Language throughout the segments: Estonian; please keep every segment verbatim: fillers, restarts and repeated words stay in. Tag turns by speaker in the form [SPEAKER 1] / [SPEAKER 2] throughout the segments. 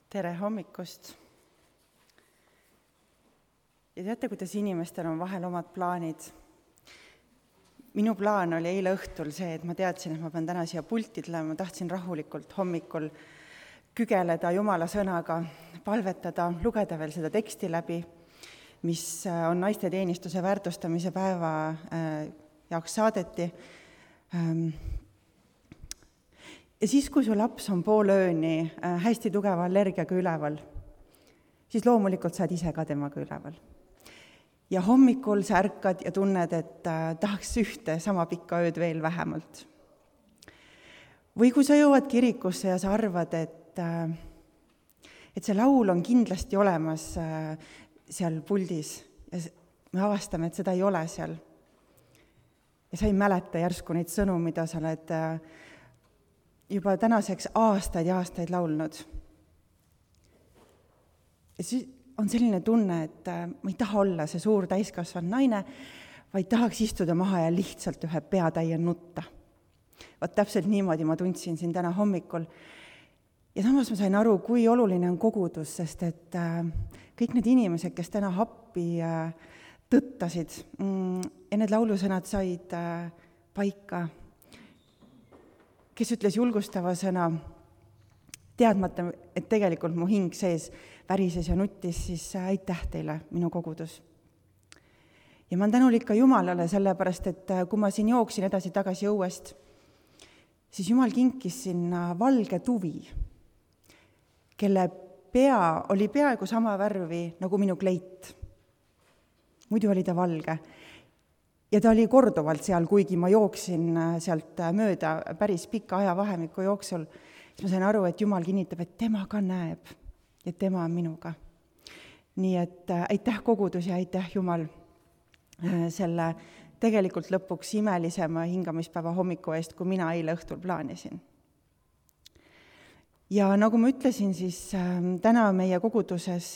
[SPEAKER 1] Tere hommikust! Ja teate, kuidas inimestel on vahel omad plaanid? Minu plaan oli eile õhtul see, et ma teadsin, et ma pean täna siia pulti tulema, ma tahtsin rahulikult hommikul kügeleda Jumala sõnaga, palvetada, lugeda veel seda teksti läbi, mis on naisteteenistuse väärtustamise päeva jaoks saadeti. Ja siis, kui su laps on pool ööni hästi tugeva allergiaga üleval, siis loomulikult saad ise ka temaga üleval. Ja hommikul sa ärkad ja tunned, et tahaks ühte sama pikka ööd veel vähemalt. Või kui sa jõuad kirikusse ja sa arvad, et, et see laul on kindlasti olemas seal puldis ja me avastame, et seda ei ole seal. Ja sa ei mäleta järsku neid sõnu, mida sa oled juba tänaseks aastaid ja aastaid laulnud. Ja siis on selline tunne, et ma ei taha olla see suur täiskasvanud naine, vaid tahaks istuda maha ja lihtsalt ühe peatäie nutta. Vaat täpselt niimoodi ma tundsin siin täna hommikul. Ja samas ma sain aru, kui oluline on kogudus, sest et kõik need inimesed, kes täna happi tõttasid ja need laulusõnad said paika, kes ütles julgustava sõna, teadmata, et tegelikult mu hing sees värises ja nuttis, siis aitäh teile, minu kogudus. Ja ma olen tänulik ka Jumalale, sellepärast, et kui ma siin jooksin edasi-tagasi õuest, siis Jumal kinkis sinna valge tuvi, kelle pea oli peaaegu sama värvi nagu minu kleit. Muidu oli ta valge. Ja ta oli korduvalt seal, kuigi ma jooksin sealt mööda päris pika ajavahemiku jooksul, siis ma sain aru, et Jumal kinnitab, et tema ka näeb ja tema on minuga. Nii et aitäh kogudus ja aitäh Jumal selle tegelikult lõpuks imelisema hingamispäeva hommiku eest, kui mina eile õhtul plaanisin. Ja nagu ma ütlesin, siis täna meie koguduses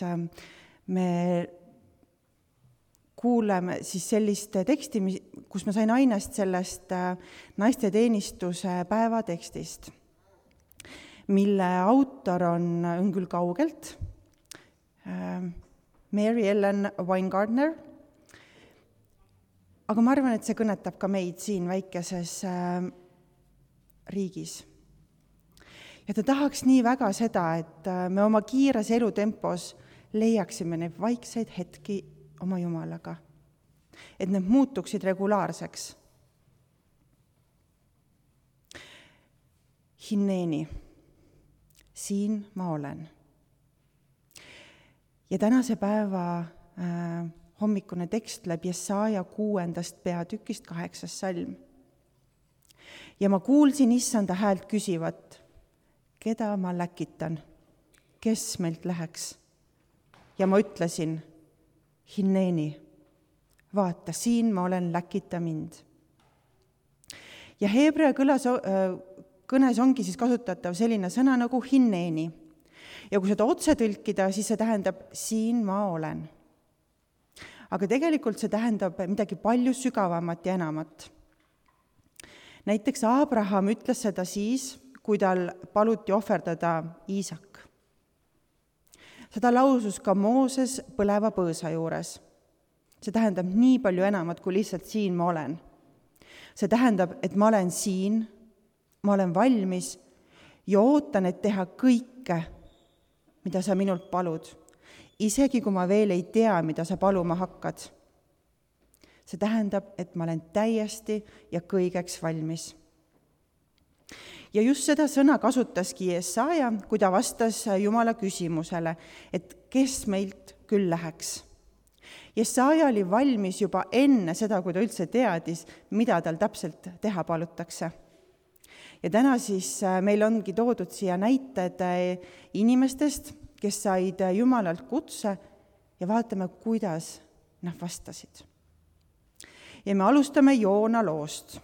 [SPEAKER 1] me kuuleme siis sellist teksti, kus ma sain ainest sellest naisteteenistuse päeva tekstist, mille autor on, on küll kaugelt, Mary Ellen Weingartner, aga ma arvan, et see kõnetab ka meid siin väikeses riigis. Ja ta tahaks nii väga seda, et me oma kiires elutempos leiaksime neid vaikseid hetki oma Jumalaga, et need muutuksid regulaarseks. Hinneeni, siin ma olen. Ja tänase päeva äh, hommikune tekst läbi Jesaja kuuendast peatükist kaheksas salm. Ja ma kuulsin issanda häält küsivat, keda ma läkitan, kes meilt läheks. Ja ma ütlesin, Hinneeni, vaata, siin ma olen, läkita mind. Ja heebrea kõlas, kõnes ongi siis kasutatav selline sõna nagu hinneeni. Ja kui seda otse tõlkida, siis see tähendab, siin ma olen. Aga tegelikult see tähendab midagi palju sügavamat ja enamat. Näiteks Abraham ütles seda siis, kui tal paluti ohverdada Iisak. Seda lausus ka Mooses põleva põõsa juures. See tähendab nii palju enamat, kui lihtsalt siin ma olen. See tähendab, et ma olen siin, ma olen valmis ja ootan, et teha kõike, mida sa minult palud, isegi kui ma veel ei tea, mida sa paluma hakkad. See tähendab, et ma olen täiesti ja kõigeks valmis. Ja just seda sõna kasutaski Jesaja, kui ta vastas Jumala küsimusele, et kes meilt küll läheks. Jesaja oli valmis juba enne seda, kui ta üldse teadis, mida tal täpselt teha palutakse. Ja täna siis meil ongi toodud siia näited inimestest, kes said Jumalalt kutse ja vaatame, kuidas nad vastasid. Ja me alustame Joona loost.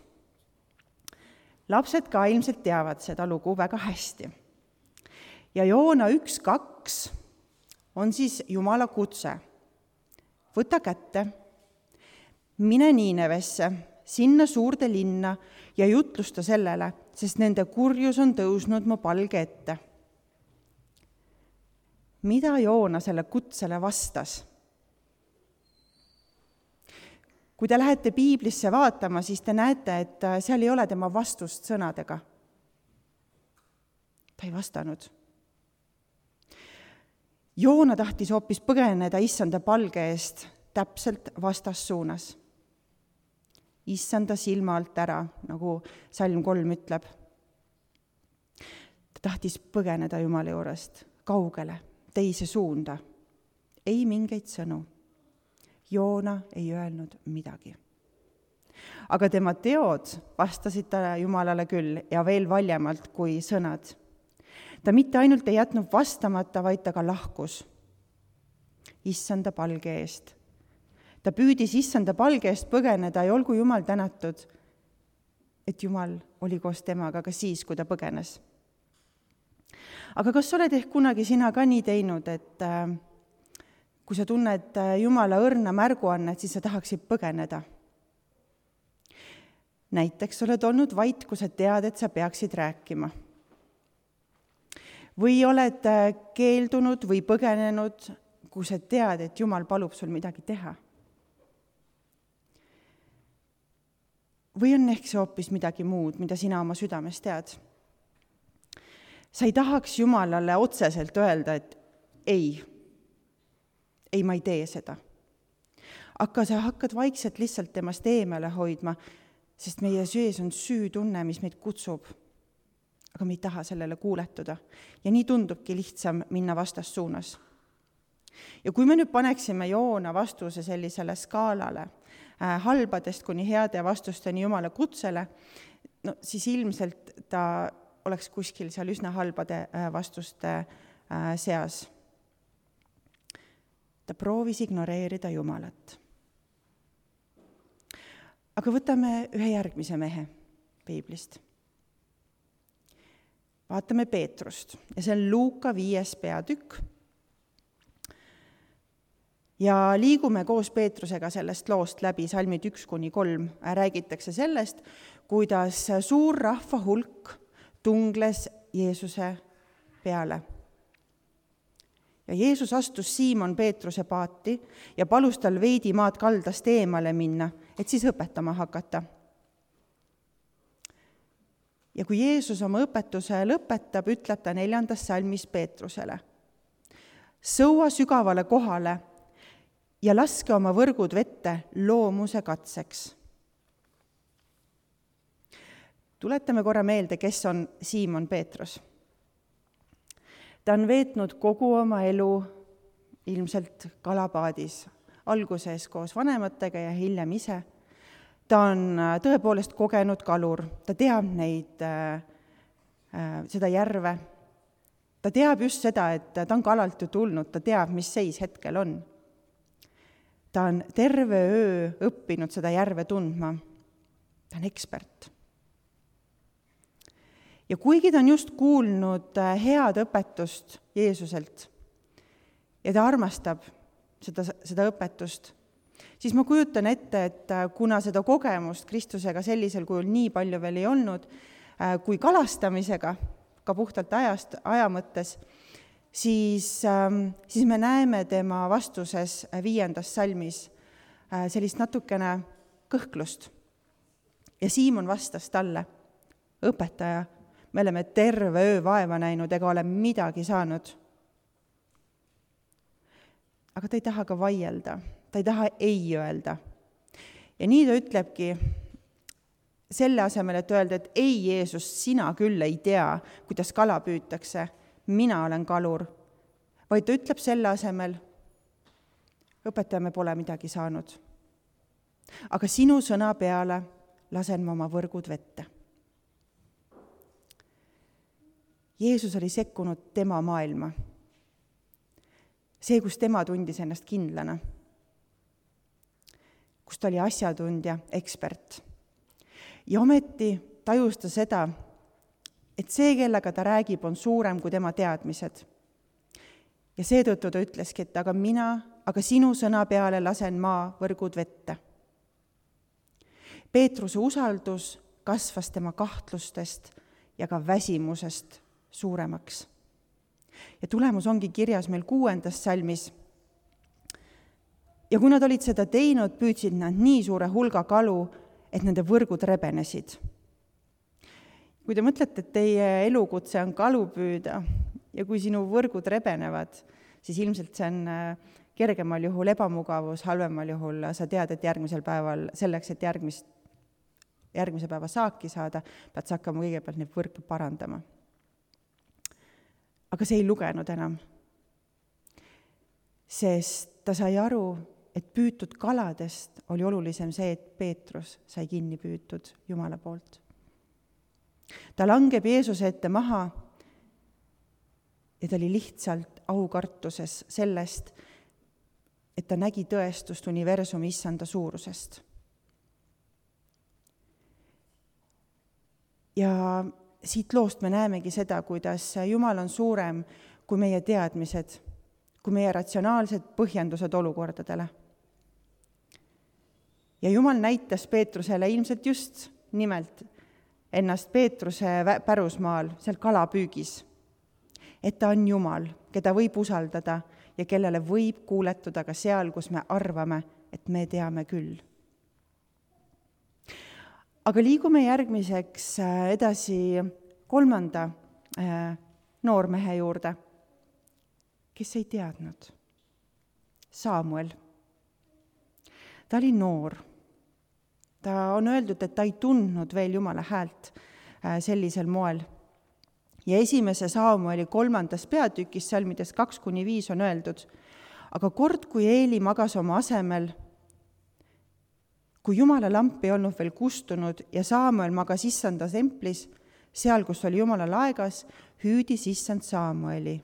[SPEAKER 1] Lapsed ka ilmselt teavad seda lugu väga hästi. Ja Joona üks kaks on siis Jumala kutse. Võta kätte, mine Niinevesse, sinna suurde linna ja jutlusta sellele, sest nende kurjus on tõusnud mu palge ette. mida Joona selle kutsele vastas? Kui te lähete piiblisse vaatama, siis te näete, et seal ei ole tema vastust sõnadega. Ta ei vastanud. Joona tahtis hoopis põgeneda issanda palge eest täpselt vastassuunas. Issanda silma alt ära, nagu salm kolm ütleb. Ta tahtis põgeneda Jumala juurest kaugele, teise suunda. Ei mingeid sõnu. Joona ei öelnud midagi. Aga tema teod vastasid ta Jumalale küll ja veel valjemalt kui sõnad. Ta mitte ainult ei jätnud vastamata, vaid ta ka lahkus issanda palge eest. Ta püüdis issanda palge eest põgeneda ja olgu Jumal tänatud, et Jumal oli koos temaga ka siis, kui ta põgenes. Aga kas oled ehk kunagi sina ka nii teinud, et kui sa tunned Jumala õrna märguannet, siis sa tahaksid põgeneda? Näiteks oled olnud vait, kui sa tead, et sa peaksid rääkima. Või oled keeldunud või põgenenud, kui sa tead, et Jumal palub sul midagi teha. Või on ehk see hoopis midagi muud, mida sina oma südames tead? Sa ei tahaks Jumalale otseselt öelda, et ei, ei, ma ei tee seda. Aga sa hakkad vaikselt lihtsalt temast eemale hoidma, sest meie sees on süütunne, mis meid kutsub. Aga me ei taha sellele kuuletuda. Ja nii tundubki lihtsam minna vastassuunas. Ja kui me nüüd paneksime Joona vastuse sellisele skaalale, äh, halbadest kuni heade vastusteni Jumala kutsele, no siis ilmselt ta oleks kuskil seal üsna halbade äh, vastuste äh, seas. Ta proovis ignoreerida Jumalat. Aga võtame ühe järgmise mehe piiblist. Vaatame Peetrust ja see on Luuka viies peatükk. Ja liigume koos Peetrusega sellest loost läbi, salmid üks kuni kolm. Räägitakse sellest, kuidas suur rahva hulk tungles Jeesuse peale. Ja Jeesus astus Siimon Peetruse paati ja palus tal veidi maad kaldast eemale minna, et siis õpetama hakata. Ja kui Jeesus oma õpetuse lõpetab, ütleb ta neljandas salmis Peetrusele: sõua sügavale kohale ja laske oma võrgud vette loomuse katseks. Tuletame korra meelde, kes on Siimon Peetrus. Ta on veetnud kogu oma elu ilmselt kalapaadis, alguses koos vanematega ja hiljem ise. Ta on tõepoolest kogenud kalur, ta teab neid, seda järve. Ta teab just seda, et ta on kalalt ju tulnud, ta teab, mis seis hetkel on. Ta on terve öö õppinud seda järve tundma. Ta on ekspert. Ja kuigi ta on just kuulnud head õpetust Jeesuselt ja ta armastab seda, seda õpetust, siis ma kujutan ette, et kuna seda kogemust Kristusega sellisel kujul nii palju veel ei olnud, kui kalastamisega, ka puhtalt ajast, aja mõttes, siis, siis me näeme tema vastuses viiendas salmis sellist natukene kõhklust. Ja Siimon vastas talle: õpetaja, me oleme terve öö vaeva näinud ega ole midagi saanud. Aga ta ei taha ka vaielda, ta ei taha ei öelda. Ja nii ta ütlebki selle asemel, et öelda, et ei, Jeesus, sina küll ei tea, kuidas kala püütakse, mina olen kalur. Vaid ta ütleb selle asemel: õpetaja, me pole midagi saanud. Aga sinu sõna peale lasen ma oma võrgud vette. Jeesus oli sekkunud tema maailma. See, kus tema tundis ennast kindlana. Kus ta oli asjatundja, ekspert. Ja ometi tajus ta seda, et see, kellega ta räägib, on suurem kui tema teadmised. Ja seetõttu ta ütleski, et aga mina, aga sinu sõna peale lasen maa võrgud vette. Peetruse usaldus kasvas tema kahtlustest ja ka väsimusest suuremaks. Ja tulemus ongi kirjas meil kuuendas salmis. Ja kui nad olid seda teinud, püüdsid nad nii suure hulga kalu, et nende võrgud rebenesid. Kui te mõtlete, et teie elukutse on kalu püüda ja kui sinu võrgud rebenevad, siis ilmselt see on kergemal juhul ebamugavus, halvemal juhul sa tead, et järgmisel päeval, selleks, et järgmist, järgmise päeva saaki saada, pead sa hakkama kõigepealt neid võrke parandama. Aga see ei lugenud enam, sest ta sai aru, et püütud kaladest oli olulisem see, et Peetrus sai kinni püütud Jumala poolt. Ta langeb Jeesuse ette maha ja ta oli lihtsalt aukartuses sellest, et ta nägi tõestust universumi issanda suurusest. Ja siit loost me näemegi seda, kuidas Jumal on suurem kui meie teadmised, kui meie ratsionaalsed põhjendused olukordadele. Ja Jumal näitas Peetrusele ilmselt just nimelt ennast Peetruse pärusmaal, seal kalapüügis, et ta on Jumal, keda võib usaldada ja kellele võib kuuletuda ka seal, kus me arvame, et me teame küll. Aga liigume järgmiseks edasi kolmanda noormehe juurde, kes ei teadnud. Saamuel. Ta oli noor. Ta on öeldud, et ta ei tundnud veel Jumala häält sellisel moel. Ja esimese Saamueli kolmandas peatükis, salmides kaks kuni viis on öeldud, aga kord, kui Eeli magas oma asemel, kui Jumala lamp ei olnud veel kustunud ja Saamuel magas issanda templis, seal, kus oli Jumala laegas, hüüdis issand Saamueli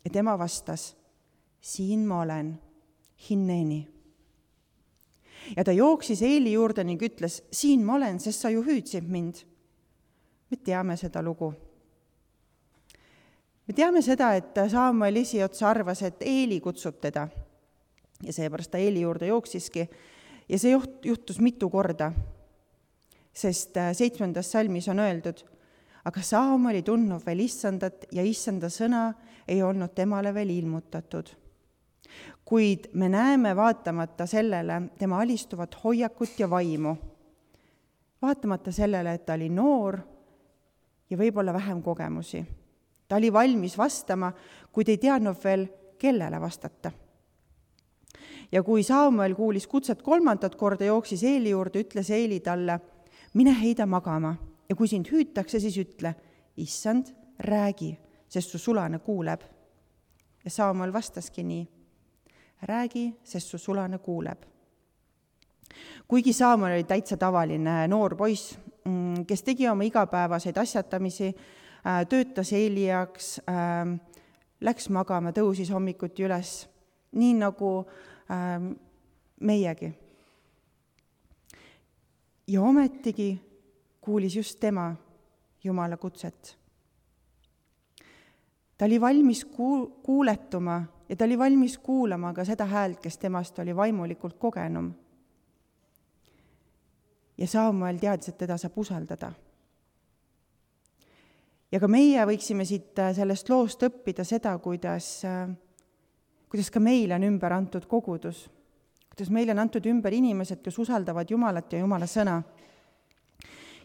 [SPEAKER 1] ja tema vastas, siin ma olen, hinneni. Ja ta jooksis Eeli juurde ning ütles, siin ma olen, sest sa ju hüüdsid mind. Me teame seda lugu. Me teame seda, et Saamuel esiots arvas, et Eeli kutsub teda. Ja seepärast ta Eeli juurde jooksiski. Ja see juhtus mitu korda, sest seitsmendas salmis on öeldud, aga Saamuel ei tundnud veel issandat ja issanda sõna ei olnud temale veel ilmutatud. Kuid me näeme vaatamata sellele tema alistuvat hoiakut ja vaimu. Vaatamata sellele, et ta oli noor ja võib-olla vähem kogemusi. Ta oli valmis vastama, kuid ei teadnud veel, kellele vastata. Ja kui Saamuel kuulis kutset kolmandat korda, jooksis Eeli juurde, ütles Eeli talle, mine heida magama ja kui sind hüütakse, siis ütle, issand, räägi, sest su sulane kuuleb. Ja Saamuel vastaski nii, räägi, sest su sulane kuuleb. Kuigi Saamuel oli täitsa tavaline noor poiss, kes tegi oma igapäevaseid asjatamisi, töötas Eeli jaoks, läks magama, tõusis hommikuti üles, nii nagu meiegi. Ja ometigi kuulis just tema Jumala kutset. Ta oli valmis kuuletuma ja ta oli valmis kuulama ka seda häält, kes temast oli vaimulikult kogenum. Ja Saamuel teadis, et teda saab usaldada. Ja ka meie võiksime siit sellest loost õppida seda, kuidas kuidas ka meile on ümber antud kogudus, kuidas meile on antud ümber inimesed, kes usaldavad Jumalat ja Jumala sõna.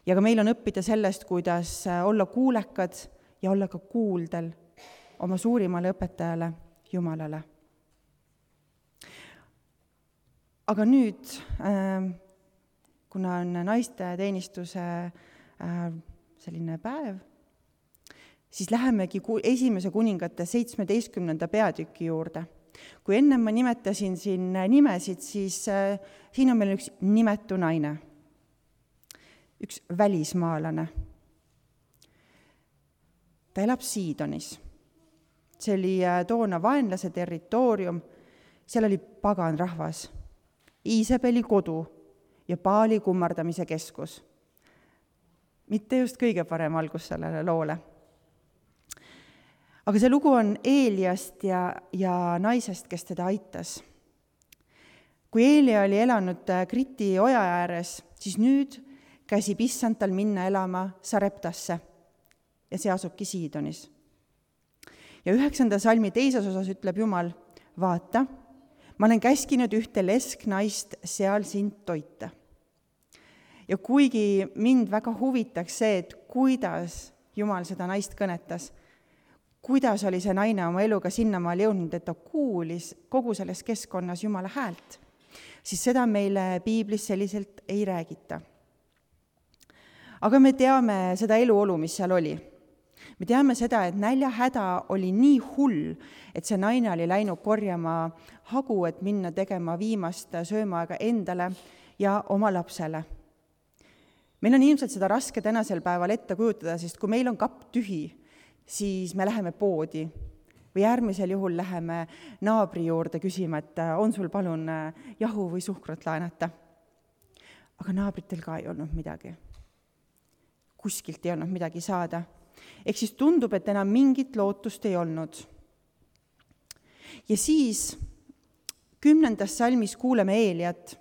[SPEAKER 1] Ja ka meil on õppida sellest, kuidas olla kuulekad ja olla ka kuuldel oma suurimale õpetajale Jumalale. Aga nüüd, kuna on naiste teenistuse selline päev, siis lähemegi esimese kuningate seitsmeteistkümnenda peatüki juurde. Kui enne ma nimetasin siin nimesid, siis äh, siin on meil üks nimetu naine, üks välismaalane. Ta elab Siidonis. See oli äh, toona vaenlase territoorium, seal oli pagan rahvas, Iisabeli kodu ja Baali kummardamise keskus. Mitte just kõige parem algus sellele loole. Aga see lugu on Eeliast ja, ja naisest, kes teda aitas. Kui Eelia oli elanud Kriti oja ääres, siis nüüd käsib issand tal minna elama Sareptasse ja see asubki Siidonis. ja üheksanda salmi teises osas ütleb Jumal, vaata, ma olen käskinud ühte lesknaist seal sind toita. Ja kuigi mind väga huvitaks see, et kuidas Jumal seda naist kõnetas, kuidas oli see naine oma eluga sinnamaal jõudnud, et ta kuulis kogu selles keskkonnas Jumala häält, siis seda meile piiblis selliselt ei räägita. Aga me teame seda eluolu, mis seal oli. Me teame seda, et näljahäda oli nii hull, et see naine oli läinud korjama hagu, et minna tegema viimast söömaaega endale ja oma lapsele. Meil on ilmselt seda raske tänasel päeval ette kujutada, sest kui meil on kapp tühi, siis me läheme poodi või järgmisel juhul läheme naabri juurde küsima, et on sul palun jahu või suhkrut laenata. Aga naabritel ka ei olnud midagi. Kuskilt ei olnud midagi saada. Ehk siis tundub, et enam mingit lootust ei olnud. Ja siis kümnendas salmis kuuleme Eeliat,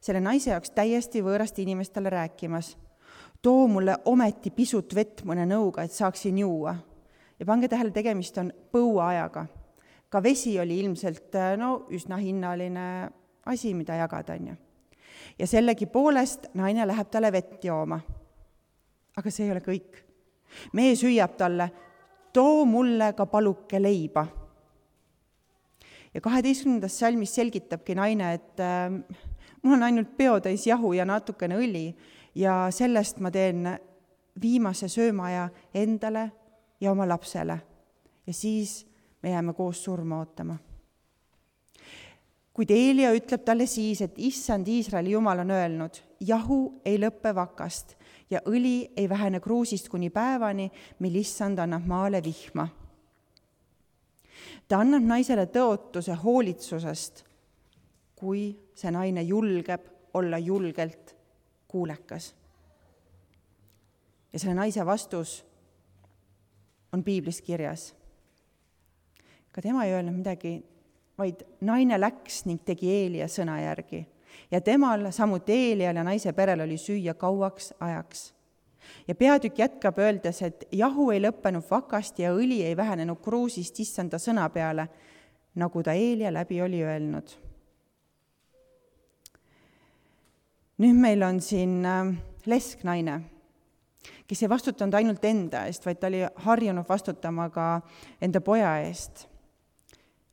[SPEAKER 1] selle naise jaoks täiesti võõrast inimestele rääkimas. Too mulle ometi pisut vett mõne nõuga, et saaksin juua. Ja pange tähele, tegemist on põuaajaga. Ka vesi oli ilmselt no, üsna hinnaline asi, mida jagada. On ju. Ja sellegi poolest naine läheb talle vett jooma. Aga see ei ole kõik. Mees hüüab talle, too mulle ka paluke leiba. Ja kaheteistkümnendas salmis selgitabki naine, et äh, mul on ainult peotäis jahu ja natukene õli ja sellest ma teen viimase söömaja endale ja oma lapsele. Ja siis me jääme koos surma ootama. Kuid Eelia ütleb talle siis, et issand Iisraeli Jumal on öelnud, jahu ei lõppe vakast ja õli ei vähene kruusist kuni päevani, mil issand annab maale vihma. Ta annab naisele tõotuse hoolitsusest, kui see naine julgeb olla julgelt kuulekas. Ja selle naise vastus on piiblis kirjas. Ka tema ei öelnud midagi, vaid naine läks ning tegi Eelia sõna järgi. Ja temal, samuti Eelial ja naise perel oli süüa kauaks ajaks. Ja peatükk jätkab öeldes, et jahu ei lõppenud vakast ja õli ei vähenenud kruusist issanda sõna peale, nagu ta Eelia läbi oli öelnud. Nüüd meil on siin lesknaine, kes ei vastutanud ainult enda eest, vaid ta oli harjunud vastutama ka enda poja eest.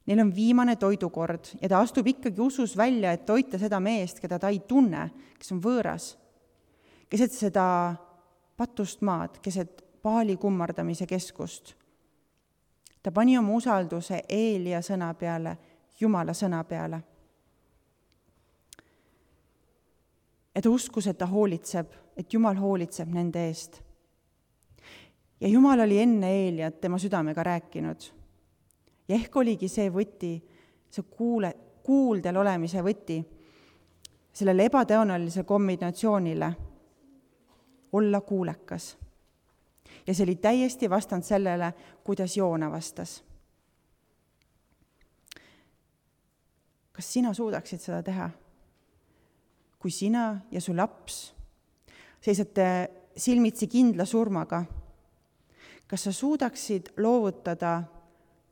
[SPEAKER 1] Neil on viimane toidukord ja ta astub ikkagi usus välja, et toita seda meest, keda ta ei tunne, kes on võõras. Keset seda patust maad, keset paali kummardamise keskust. Ta pani oma usalduse Eelia sõna peale, Jumala sõna peale. Ja ta uskus, et ta hoolitseb, et Jumal hoolitseb nende eest. Ja Jumal oli enne Eeliat tema südamega rääkinud. Ja ehk oligi see võti, see kuule, kuuldel olemise võti, sellele ebatõenäolisele kombinatsioonile olla kuulekas. Ja see oli täiesti vastand sellele, kuidas Joona vastas. Kas sina suudaksid seda teha? Kui sina ja su laps seisate silmitsi kindla surmaga, kas sa suudaksid loovutada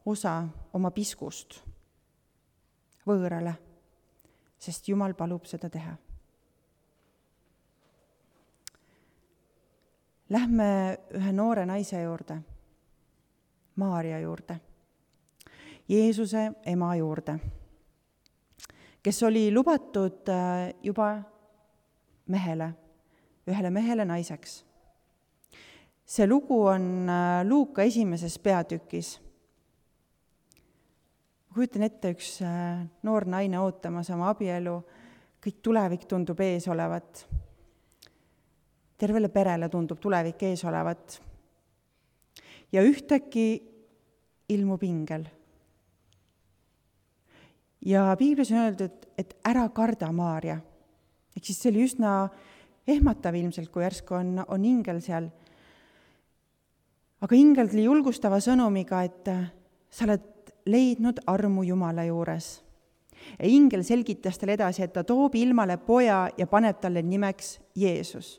[SPEAKER 1] osa oma piskust võõrale, sest Jumal palub seda teha. Lähme ühe noore naise juurde, Maaria juurde, Jeesuse ema juurde, kes oli lubatud juba mehele, ühele mehele naiseks. See lugu on Luuka esimeses peatükis. Kujutan ette üks noor naine ootamas oma abielu, kõik tulevik tundub ees olevat. Tervele perele tundub tulevik ees olevat. Ja ühtäkki ilmub ingel. Ja piiblis on öeldud, et ära karda, Maaria. Ehk siis see oli üsna ehmatav ilmselt, kui järsku on, on ingel seal. Aga ingel tuli julgustava sõnumiga, et sa oled leidnud armu Jumala juures. Ja ingel selgitas talle edasi, et ta toob ilmale poja ja paneb talle nimeks Jeesus.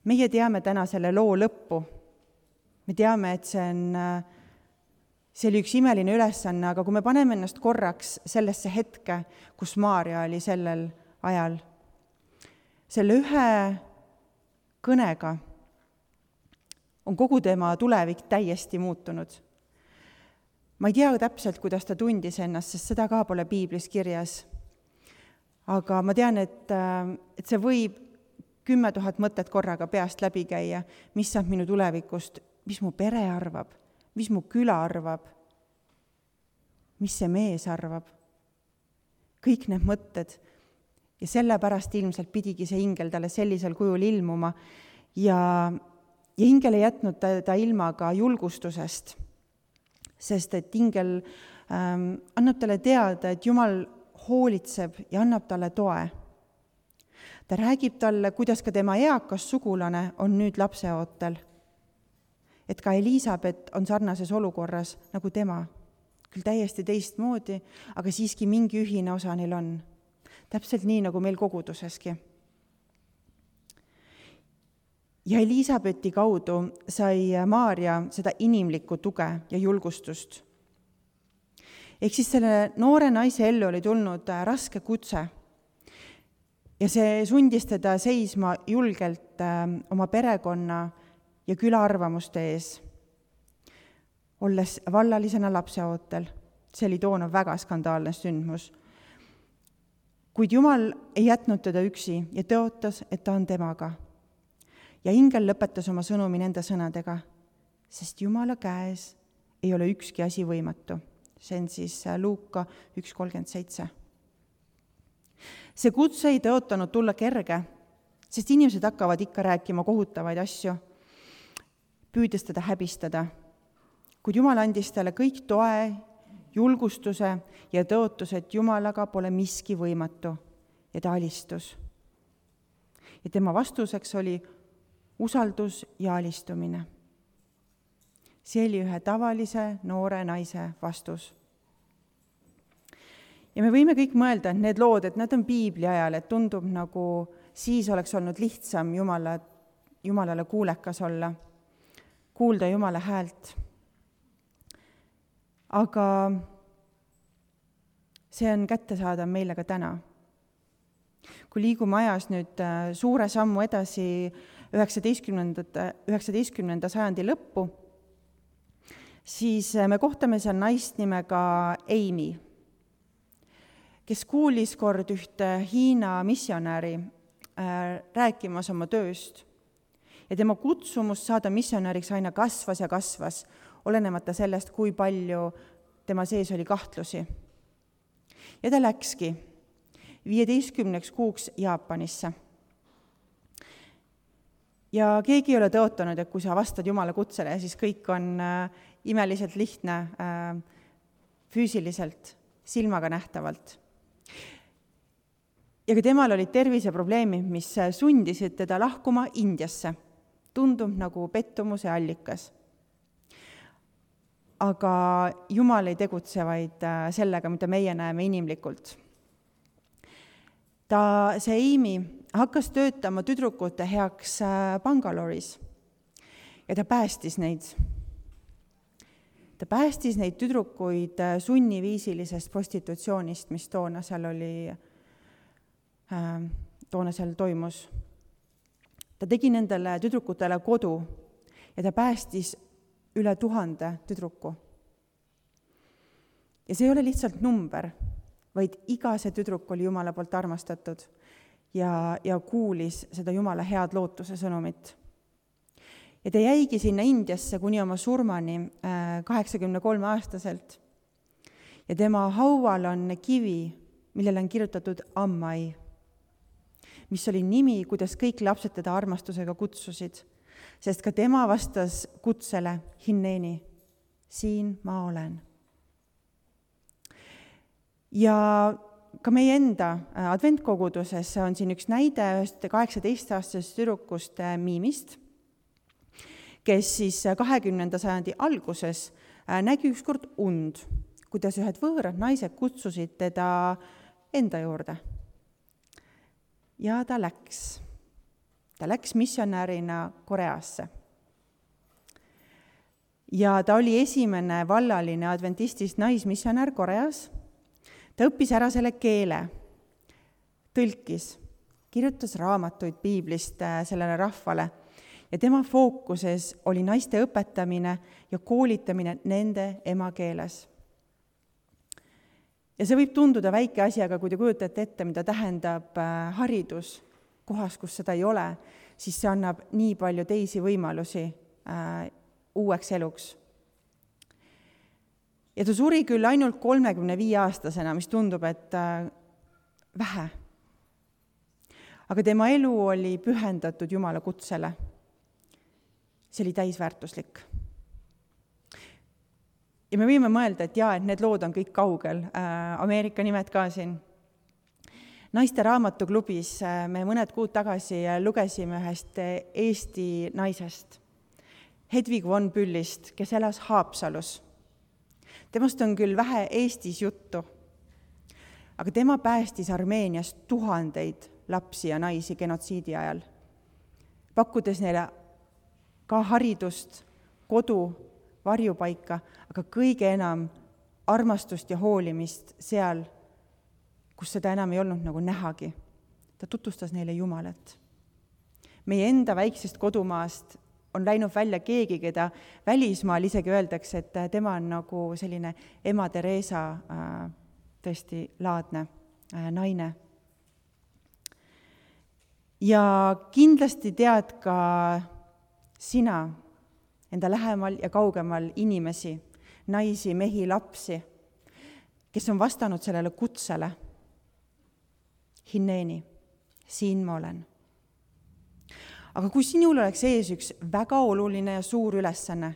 [SPEAKER 1] Meie teame täna selle loo lõppu. Me teame, et see on see oli üks imeline ülesanne, aga kui me paneme ennast korraks sellesse hetke, kus Maarja oli sellel ajal, selle ühe kõnega on kogu tema tulevik täiesti muutunud. Ma ei tea täpselt, kuidas ta tundis ennast, sest seda ka pole piiblis kirjas. Aga ma tean, et, et see võib kümme tuhat mõtet korraga peast läbi käia, mis saab minu tulevikust, mis mu pere arvab, mis mu küla arvab, mis see mees arvab. Kõik need mõtted. Ja sellepärast ilmselt pidigi see ingel talle sellisel kujul ilmuma ja, ja ingel ei jätnud ta, ta ilma ka julgustusest, sest et ingel ähm, annab talle teada, et Jumal hoolitseb ja annab talle toe. Ta räägib talle, kuidas ka tema eakas sugulane on nüüd lapseootel. Et ka Elisabet on sarnases olukorras nagu tema. Küll täiesti teistmoodi, aga siiski mingi ühine osa neil on. Täpselt nii, nagu meil koguduseski. Ja Elisabeti kaudu sai Maarja seda inimlikku tuge ja julgustust. Ehk siis selle noore naise ellu oli tulnud raske kutse ja see sundis teda seisma julgelt oma perekonna ja küla arvamuste ees, olles vallalisena lapseootel. See oli toona väga skandaalne sündmus. Kuid Jumal ei jätnud teda üksi ja tõotas, et ta on temaga. Ja ingel lõpetas oma sõnumi nende sõnadega, sest Jumala käes ei ole ükski asi võimatu. See on siis Luuka üks kolmkümmend seitse. See kutse ei tõotanud tulla kerge, sest inimesed hakkavad ikka rääkima kohutavaid asju, püüdes teda häbistada. Kuid Jumal andis talle kõik toe, julgustuse ja tõotus, et Jumalaga pole miski võimatu ja ta alistus. Ja tema vastuseks oli usaldus ja alistumine. See oli ühe tavalise noore naise vastus. Ja me võime kõik mõelda, et need lood, et nad on piibli ajal, et tundub nagu siis oleks olnud lihtsam Jumala, Jumalale kuulekas olla, kuulda Jumala häält. Aga see on kättesaadav meile ka täna. Kui liigume ajas nüüd suure sammu edasi üheksateistkümnenda sajandi lõppu, siis me kohtame seal naist nimega Amy, kes kuulis kord ühte Hiina missionäri rääkimas oma tööst. Ja tema kutsumus saada missionäriks aina kasvas ja kasvas, olenemata sellest, kui palju tema sees oli kahtlusi. Ja ta läkski viieteistkümneks kuuks Jaapanisse. Ja keegi ei ole tõotanud, et kui sa vastad Jumala kutsele, siis kõik on äh, imeliselt lihtne äh, füüsiliselt, silmaga nähtavalt. Ja ka temal olid terviseprobleemid, mis sundisid teda lahkuma Indiasse. Tundub nagu pettumuse allikas. Aga Jumal ei tegutse vaid äh, sellega, mida meie näeme inimlikult. Ta, see Amy hakkas töötama tüdrukute heaks Bangaloris ja ta päästis neid. Ta päästis neid tüdrukuid sunniviisilisest prostitutsioonist, mis toona seal oli, toona seal toimus. Ta tegi nendele tüdrukutele kodu ja ta päästis üle tuhande tüdruku. Ja see ei ole lihtsalt number, vaid iga see tüdruk oli Jumala poolt armastatud ja, ja kuulis seda Jumala head lootuse sõnumit. Ja ta jäigi sinna Indiasse kuni oma surmani kaheksakümne kolme aastaselt. Ja tema haual on kivi, millele on kirjutatud Ammai, mis oli nimi, kuidas kõik lapsed teda armastusega kutsusid, sest ka tema vastas kutsele Hinneeni, siin ma olen. Ja ka meie enda adventkoguduses on siin üks näide ühest kaheksateist-aastasest tüdrukust Miimist, kes siis kahekümnenda sajandi alguses nägi ükskord und, kuidas ühed võõrad naised kutsusid teda enda juurde. Ja ta läks. Ta läks missionärina Koreasse. ja ta oli esimene vallaline adventistist naismissionär Koreas. Ta õppis ära selle keele, tõlkis, kirjutas raamatuid piiblist sellele rahvale ja tema fookuses oli naiste õpetamine ja koolitamine nende emakeeles. Ja see võib tunduda väike asi, aga kui te kujutate ette, mida tähendab haridus kohas, kus seda ei ole, siis see annab nii palju teisi võimalusi äh, uueks eluks. Ja ta suri küll ainult kolmekümne viie aastasena, mis tundub, et äh, vähe. Aga tema elu oli pühendatud Jumala kutsele. See oli täisväärtuslik. Ja me võime mõelda, et jaa, et need lood on kõik kaugel, äh, Ameerika nimed ka siin. Naiste raamatuklubis me mõned kuud tagasi lugesime ühest Eesti naisest, Hedvig von Büllist, kes elas Haapsalus. Temast on küll vähe Eestis juttu, aga tema päästis Armeenias tuhandeid lapsi ja naisi genotsiidi ajal, pakkudes neile ka haridust, kodu, varjupaika, aga kõige enam armastust ja hoolimist seal, kus seda enam ei olnud nagu nähagi. Ta tutvustas neile Jumalat. Meie enda väiksest kodumaast on läinud välja keegi, keda välismaal isegi öeldakse, et tema on nagu selline ema Teresa äh, tõesti laadne äh, naine. Ja kindlasti tead ka sina enda lähemal ja kaugemal inimesi, naisi, mehi, lapsi, kes on vastanud sellele kutsele. Hinneeni, siin ma olen. Aga kui sinul oleks ees üks väga oluline ja suur ülesanne,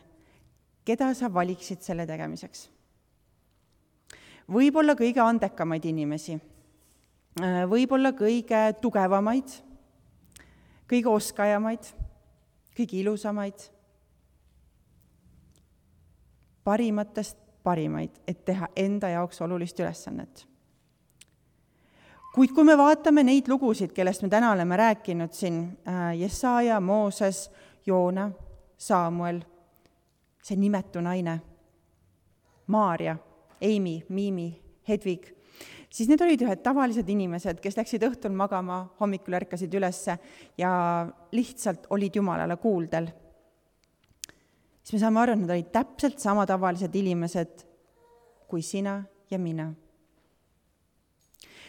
[SPEAKER 1] keda sa valiksid selle tegemiseks? Võib-olla kõige andekamaid inimesi, võib-olla kõige tugevamaid, kõige oskajamaid, kõige ilusamaid, parimatest parimaid, et teha enda jaoks olulist ülesannet. Kuid kui me vaatame neid lugusid, kellest me täna oleme rääkinud siin, Jesaja, Mooses, Joona, Saamuel, see nimetu naine, Maaria, Eimi, Miimi, Hedvig, siis need olid ühed tavalised inimesed, kes läksid õhtul magama, hommikul ärkasid ülesse ja lihtsalt olid Jumalale kuuldel. Siis me saame aru, et nad olid täpselt sama tavalised inimesed kui sina ja mina.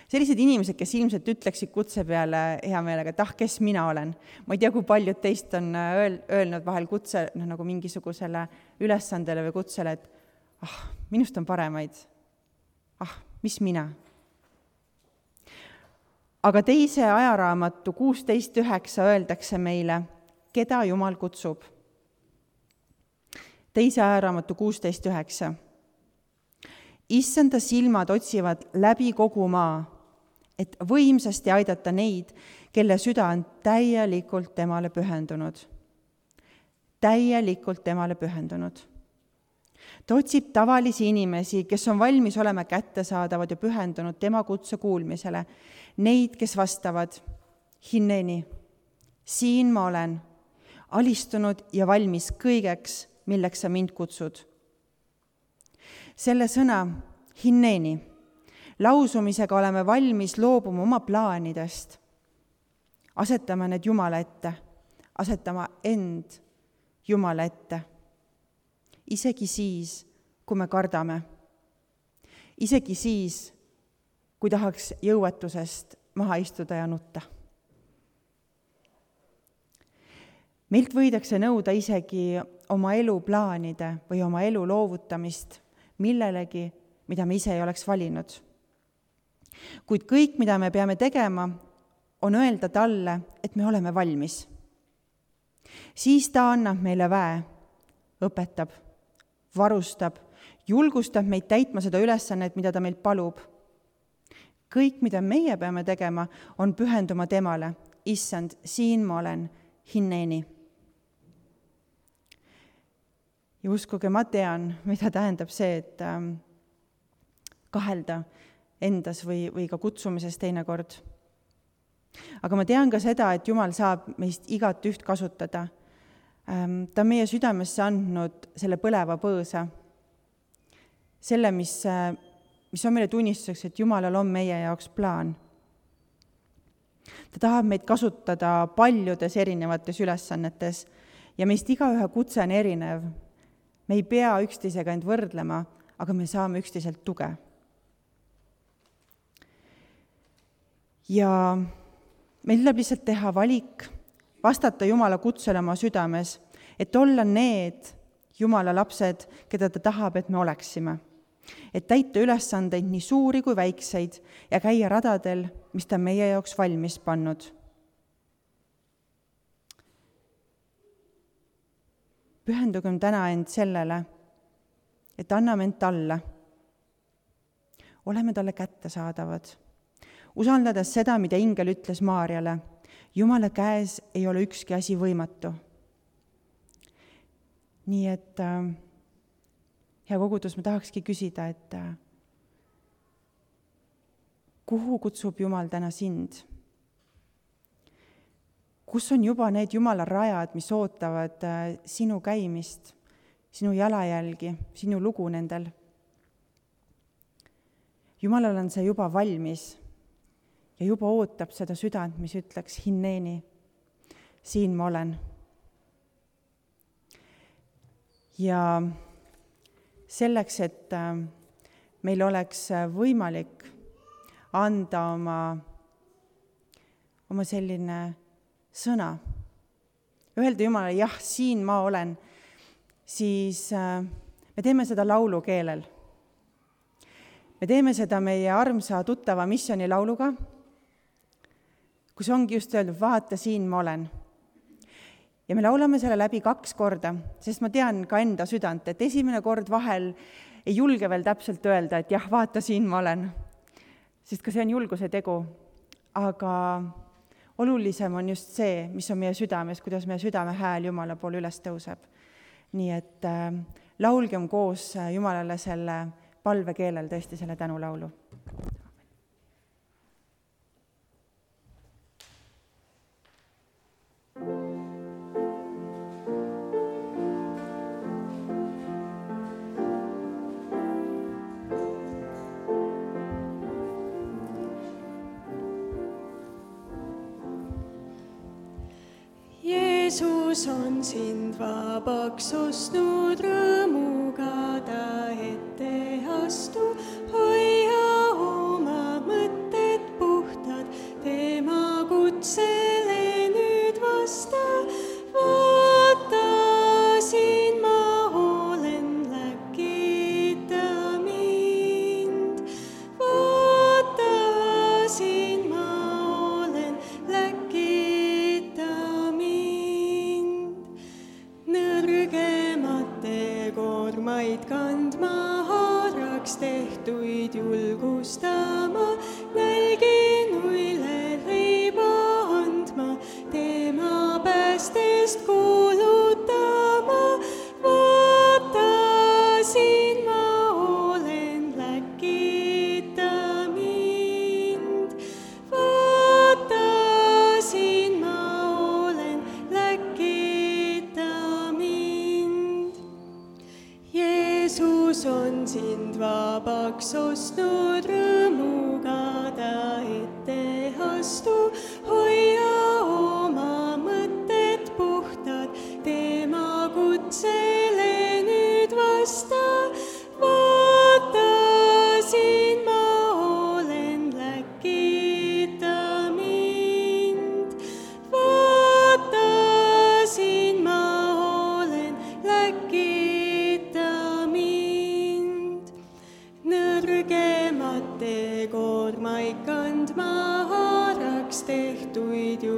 [SPEAKER 1] Sellised inimesed, kes ilmselt ütleksid kutse peale hea meelega, et ah, kes mina olen. Ma ei tea, kui paljud teist on öelnud vahel kutse no, nagu mingisugusele ülesandele või kutsele, et ah, minust on paremaid. Ah, mis mina? Aga teise ajaraamatu kuusteist üheksa öeldakse meile, keda Jumal kutsub. Teise ajaraamatu kuusteist üheksa. Issanda silmad otsivad läbi kogu maa, et võimsasti aidata neid, kelle süda on täielikult temale pühendunud. Täielikult temale pühendunud. Ta otsib tavalisi inimesi, kes on valmis olema kättesaadavad ja pühendunud tema kutse kuulmisele. Neid, kes vastavad, Hinneeni, siin ma olen, alistunud ja valmis kõigeks, milleks sa mind kutsud. Selle sõna, Hinneeni, lausumisega oleme valmis loobuma oma plaanidest, asetama need Jumala ette, asetama end Jumala ette. Isegi siis, kui me kardame. Isegi siis, kui tahaks jõuetusest maha istuda ja nutta. Meilt võidakse nõuda isegi oma elu plaanide või oma elu loovutamist millelegi, mida me ise ei oleks valinud. Kuid kõik, mida me peame tegema, on öelda talle, et me oleme valmis. Siis ta annab meile väe, õpetab, varustab, julgustab meid täitma seda ülesannet, mida ta meilt palub. Kõik, mida meie peame tegema, on pühenduma temale. Issand, siin ma olen, Hinneeni. Ja uskuge, ma tean, mida tähendab see, et ähm, kahelda endas või, või ka kutsumises teinekord. Aga ma tean ka seda, et Jumal saab meist igat üht kasutada Ta on meie südamesse andnud selle põleva põõsa, selle, mis, mis on meile tunnistuseks, et Jumalal on meie jaoks plaan. Ta tahab meid kasutada paljudes erinevates ülesannetes ja meist igaühe kutse on erinev. Me ei pea üksteisega end võrdlema, aga me saame üksteiselt tuge. Ja meil tuleb lihtsalt teha valik, vastata Jumala kutsele oma südames, et olla need Jumala lapsed, keda ta tahab, et me oleksime. Et täita ülesandeid nii suuri kui väikseid ja käia radadel, mis ta meie jaoks valmis pannud. Pühendugem täna end sellele, et anname end talle. Oleme talle kättesaadavad. Usaldades seda, mida ingel ütles Maarjale, Jumala käes ei ole ükski asi võimatu. Nii et äh, hea kogudus, ma tahakski küsida, et äh, kuhu kutsub Jumal täna sind? Kus on juba need Jumala rajad, mis ootavad äh, sinu käimist, sinu jalajälgi, sinu lugu nendel? Jumalal on see juba valmis ja juba ootab seda südant, mis ütleks hinneeni, siin ma olen. Ja selleks, et meil oleks võimalik anda oma, oma selline sõna, öelda Jumalale, jah, siin ma olen, siis me teeme seda laulukeelel. Me teeme seda meie armsa tuttava missioonilauluga, kus ongi just öeldud, vaata, siin ma olen. Ja me laulame selle läbi kaks korda, sest ma tean ka enda südant, et esimene kord vahel ei julge veel täpselt öelda, et jah, vaata, siin ma olen. Sest ka see on julguse tegu. Aga olulisem on just see, mis on meie südames, kuidas meie südame hääl Jumala poole üles tõuseb. Nii et äh, laulgem koos Jumalale selle palvekeelel tõesti selle tänulaulu.
[SPEAKER 2] Jeesus on sind vabaks ostnud, rõõmuga ta ette astu. Hoia oma mõtted puhtad, tema kutsele nüüd vasta. Vaata, siin ma olen, läkita mind. Vaata, siin ma olen, läkita mind. Nõrgemate koormaid kandma, haaraks tehtuid julgustama, nälginuile leiba andma, tema päästest kuulutama. Vaata, siin ma olen, läkita mind. Vaata, siin ma olen, läkita mind. Jeesus on sind vabaks ostnud, rõõmuga ta ette astu. Hoia oma mõtted puhtad, tema kutsele nüüd vasta. Vaata, siin ma olen, läkita mind. Vaata, siin ma olen, läkita mind. Nõrgemate koormaid kandma, haaraks tehtuid ju